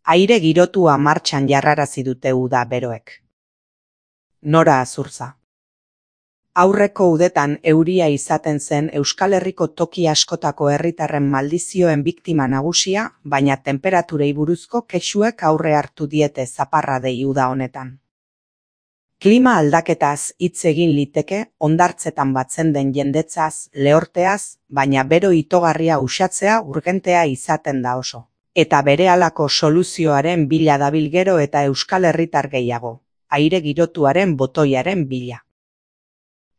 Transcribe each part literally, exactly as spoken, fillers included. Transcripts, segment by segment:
Aire girotua martxan jarrarazi dute uda beroek. Nora Azurza. Aurreko udetan euria izaten zen Euskal Herriko toki askotako herritarren maldizioen biktima nagusia, baina temperaturei buruzko kexuek aurre hartu diete zaparradei uda honetan. Klima aldaketaz hitz egin liteke hondartzetan batzen den jendetzaz, lehorteaz, baina bero itogarria uxatzea urgentea izaten da oso. Eta berehalako soluzioaren bila dabil gero eta Euskal Herritar gehiago, aire girotuaren botoiaren bila.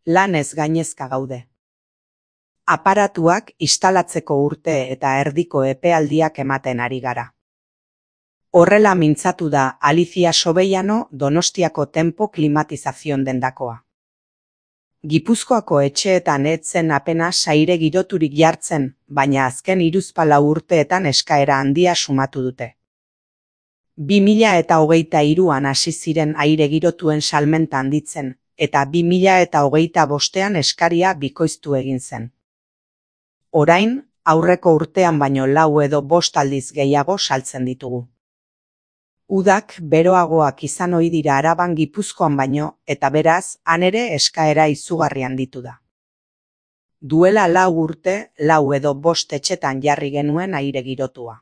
Lanez gainezka gaude. Aparatuak instalatzeko urte eta erdiko epealdiak ematen ari gara. Horrela mintzatu da Alicia Sobeiano Donostiako Tempo Klimatizazion dendakoa. Gipuzkoako etxeetan ez zen apenas aire giroturik jartzen, baina azken hiruzpalau urteetan eskaera handia sumatu dute. bi mila eta hogeita hiruan hasi ziren aire girotuen salmenta handitzen, eta bi mila eta hogeita bostean eskaria bikoiztu egin zen. Orain, aurreko urtean baino lau edo bost aldiz gehiago saltzen ditugu. Udak beroagoak izan ohi dira Araban Gipuzkoan baino, eta beraz, han ere eskaera izugarrian ditu da. Duela lau urte, lau edo bost etxetan jarri genuen aire girotua.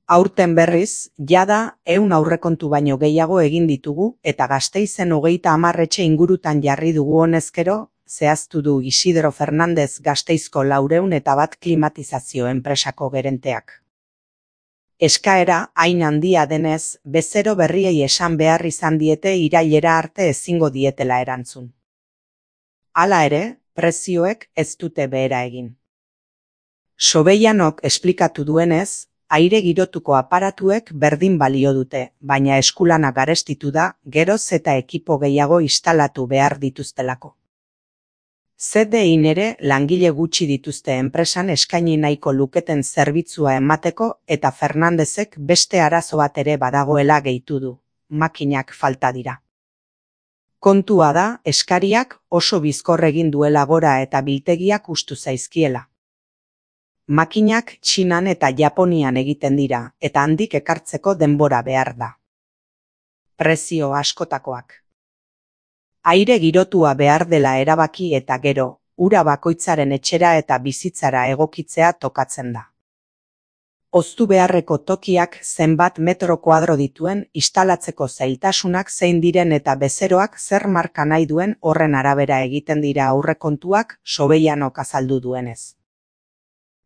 Aurten berriz, jada ehun aurrekontu baino gehiago egin ditugu, eta Gasteizen hogeita hamar etxe ingurutan jarri dugu honezkero, zehaztu du Isidro Fernandez Gasteizko laurehun eta bat klimatizazio enpresako gerenteak. Eskaera hain handia denez, bezero berriei esan behar izan diete irailera arte ezingo dietela erantzun. Hala ere, prezioek ez dute behera egin. Sobeianok esplikatu duenez, aire girotuko aparatuek berdin balio dute, baina eskulana garestitu da, geroz eta ekipo gehiago instalatu behar dituztelako. Z D I ere langile gutxi dituzte enpresan eskaini nahiko luketen zerbitzua emateko eta Fernandezek beste arazo bat ere badagoela gehitu du, makinak falta dira. Kontua da, eskariak oso bizkor egin duela gora eta biltegiak hustu zaizkiela. Makinak Txinan eta Japonian egiten dira, eta handik ekartzeko denbora behar da. Prezio askotakoak. Aire girotua behar dela erabaki eta gero, ura bakoitzaren etxera eta bizitzara egokitzea tokatzen da. Oztu beharreko tokiak zenbat metro kuadro dituen, instalatzeko zailtasunak zein diren eta bezeroak zer marka nahi duen horren arabera egiten dira aurrekontuak Sobeianok azaldu duenez.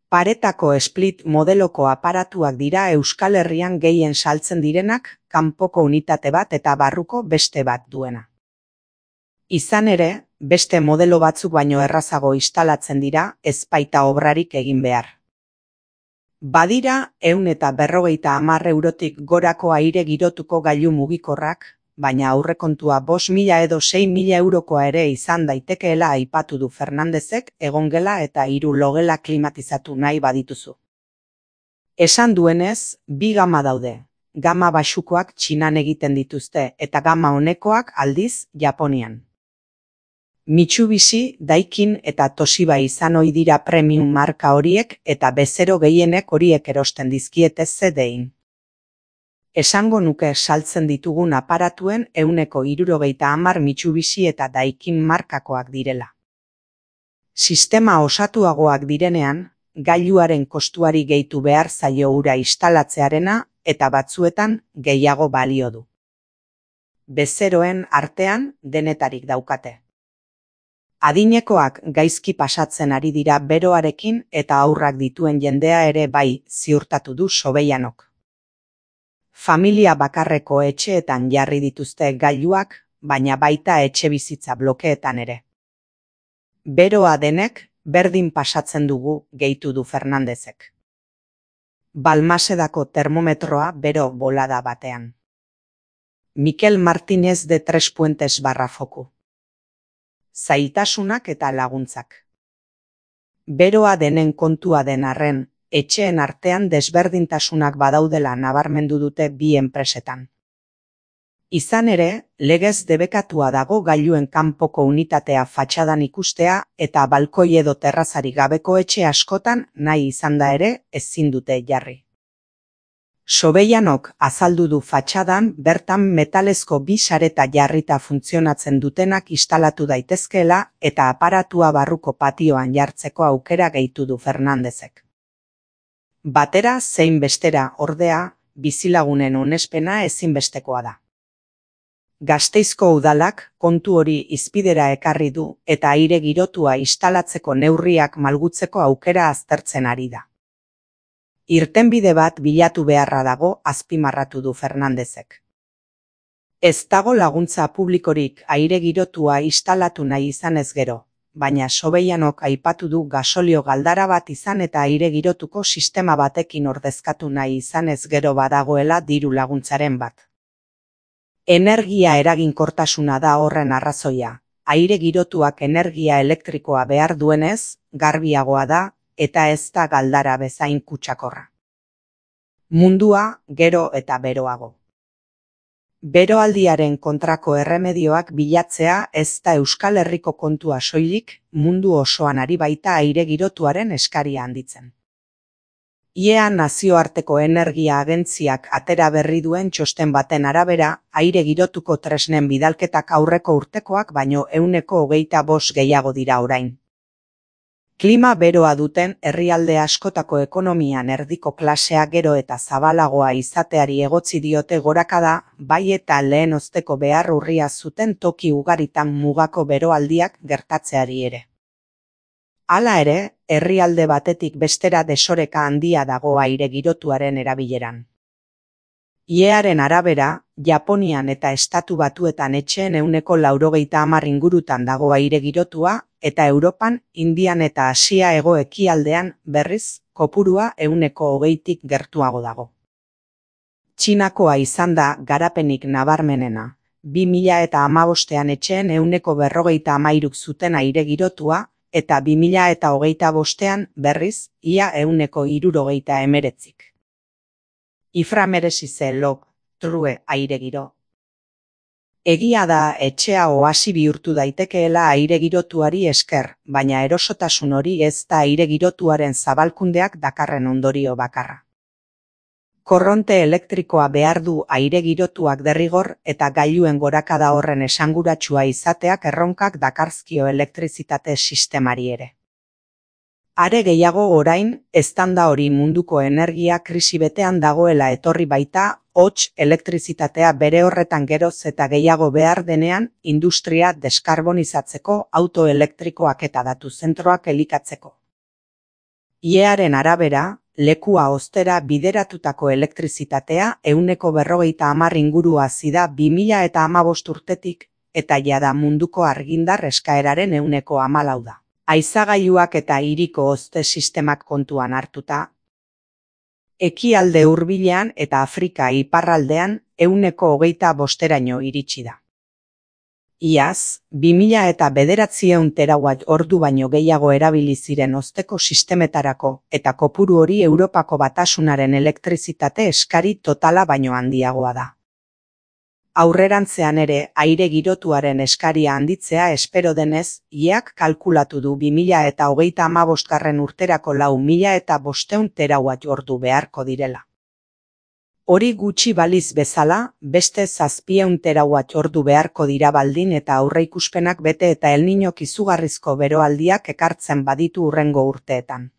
Paretako split modeloko aparatuak dira Euskal Herrian gehien saltzen direnak, kanpoko unitate bat eta barruko beste bat duena. Izan ere, beste modelo batzuk baino errazago instalatzen dira, ez baita obrarik egin behar. Badira, ehun eta berrogeita hamar eurotik gorako aire girotuko gailu mugikorrak, baina aurrekontua bost mila edo sei mila eurokoa ere izan daitekeela aipatu du Fernandezek egongela eta hiru logela klimatizatu nahi badituzu. Esan duenez, bi gama daude, gama baxukoak Txinan egiten dituzte eta gama onekoak aldiz Japonian. Mitsubishi, Daikin eta Toshiba izan ohi dira premium marka horiek eta bezero gehienek horiek erosten dizkiete Z D I. Esango nuke saltzen ditugun aparatuen ehuneko hirurogeita hamar Mitsubishi eta Daikin markakoak direla. Sistema osatuagoak direnean, gailuaren kostuari gehitu behar zaio ura instalatzearena eta batzuetan gehiago balio du. Bezeroen artean denetarik daukate. Adinekoak gaizki pasatzen ari dira beroarekin eta aurrak dituen jendea ere bai, ziurtatu du Sobeianok. Familia bakarreko etxeetan jarri dituzte gailuak, baina baita etxebizitza blokeetan ere. Beroa denek berdin pasatzen dugu, gehitu du Fernandezek. Balmasedako termometroa bero bolada batean. Mikel Martínez de Tres Puentes barra foku. Zailtasunak eta laguntzak. Beroa denen kontua den arren, etxeen artean desberdintasunak badaudela nabarmendu dute bi enpresetan. Izan ere, legez debekatua dago gailuen kanpoko unitatea fatxadan ikustea eta balkoi edo terrazari gabeko etxe askotan nahi izan da ere ezin dute jarri. Sobeianok azaldu du fatxadan bertan metalezko bi sareta jarrita funtzionatzen dutenak instalatu daitezkeela eta aparatua barruko patioan jartzeko aukera gehitu du Fernandezek. Batera zein bestera, ordea, bizilagunen onespena ezinbestekoa da. Gasteizko udalak kontu hori hizpidera ekarri du eta aire girotua instalatzeko neurriak malgutzeko aukera aztertzen ari da. Irtenbide bat bilatu beharra dago, azpimarratu du Fernandezek. Ez dago laguntza publikorik aire girotua instalatu nahi izanez gero, baina Sobeianok aipatu du gasolio galdara bat izan eta aire girotuko sistema batekin ordezkatu nahi izanez gero badagoela diru laguntzaren bat. Energia eraginkortasuna da horren arrazoia, aire girotuak energia elektrikoa behar duenez, garbiagoa da, eta ez da galdara bezain kutsakorra. Mundua gero eta beroago. Beroaldiaren kontrako erremedioak bilatzea ez da Euskal Herriko kontua soilik, mundu osoan ari baita aire girotuaren eskaria handitzen. I E A nazioarteko energia agentziak atera berri duen txosten baten arabera, aire girotuko tresnen bidalketak aurreko urtekoak baino ehuneko hogeita bost gehiago dira orain. Klima beroa duten herrialde askotako ekonomian erdiko klasea gero eta zabalagoa izateari egotzi diote gorakada, bai eta lehen osteko behar urria zuten toki ugaritan mugako beroaldiak gertatzeari ere. Hala ere, herrialde batetik bestera desoreka handia dago aire girotuaren erabileran. I E A-ren arabera, Japonian eta Estatu Batuetan etxeen ehuneko laurogeita hamar ingurutan dago aire girotua, eta Europan, Indian eta Asia hego-ekialdean, berriz, kopurua ehuneko hogeitik gertuago dago. Txinakoa izan da garapenik nabarmenena, bi mila eta hamabostean etxeen ehuneko berrogeita hamairuk zuten aire girotua, eta bi mila eta hogeita bostean, berriz, ia ehuneko hirurogeita hemeretzik. Ifra merezi ze log, true aire giro. Egia da etxea oasi bihurtu daitekeela aire girotuari esker, baina erosotasun hori ez da aire girotuaren zabalkundeak dakarren ondorio bakarra. Korronte elektrikoa behar du aire girotuak derrigor eta gailuen gorakada horren esanguratsua izateak erronkak dakarzkio elektrizitate sistemari ere. Are gehiago orain, eztanda hori munduko energia krisi betean dagoela etorri baita, hots elektrizitatea bere horretan geroz eta gehiago behar denean, industria deskarbonizatzeko, auto elektrikoak eta datu zentroak elikatzeko. I E A-ren arabera, lekua ostera bideratutako elektrizitatea ehuneko berrogeita hamar inguru hazi da bi mila eta hamabost urtetik, eta jada munduko argindar eskaeraren ehuneko hamalau da. Haizagailuak eta hiriko hozte sistemak kontuan hartuta, ekialde hurbilean eta Afrika iparraldean ehuneko hogeita bosteraino iritsi da. Iaz, bi mila eta bederatziehun terawatt ordu baino gehiago erabili ziren hozteko sistemetarako eta kopuru hori Europako Batasunaren elektrizitate eskari totala baino handiagoa da. Aurrerantzean ere aire girotuaren eskaria handitzea espero denez, I E A-k kalkulatu du bi mila eta hogeita hamabostgarren urterako lau mila eta bostehun terawatt ordu beharko direla. Hori gutxi baliz bezala, beste zazpiehun terawatt ordu beharko dira baldin eta aurreikuspenak bete eta El Niñok izugarrizko beroaldiak ekartzen baditu hurrengo urteetan.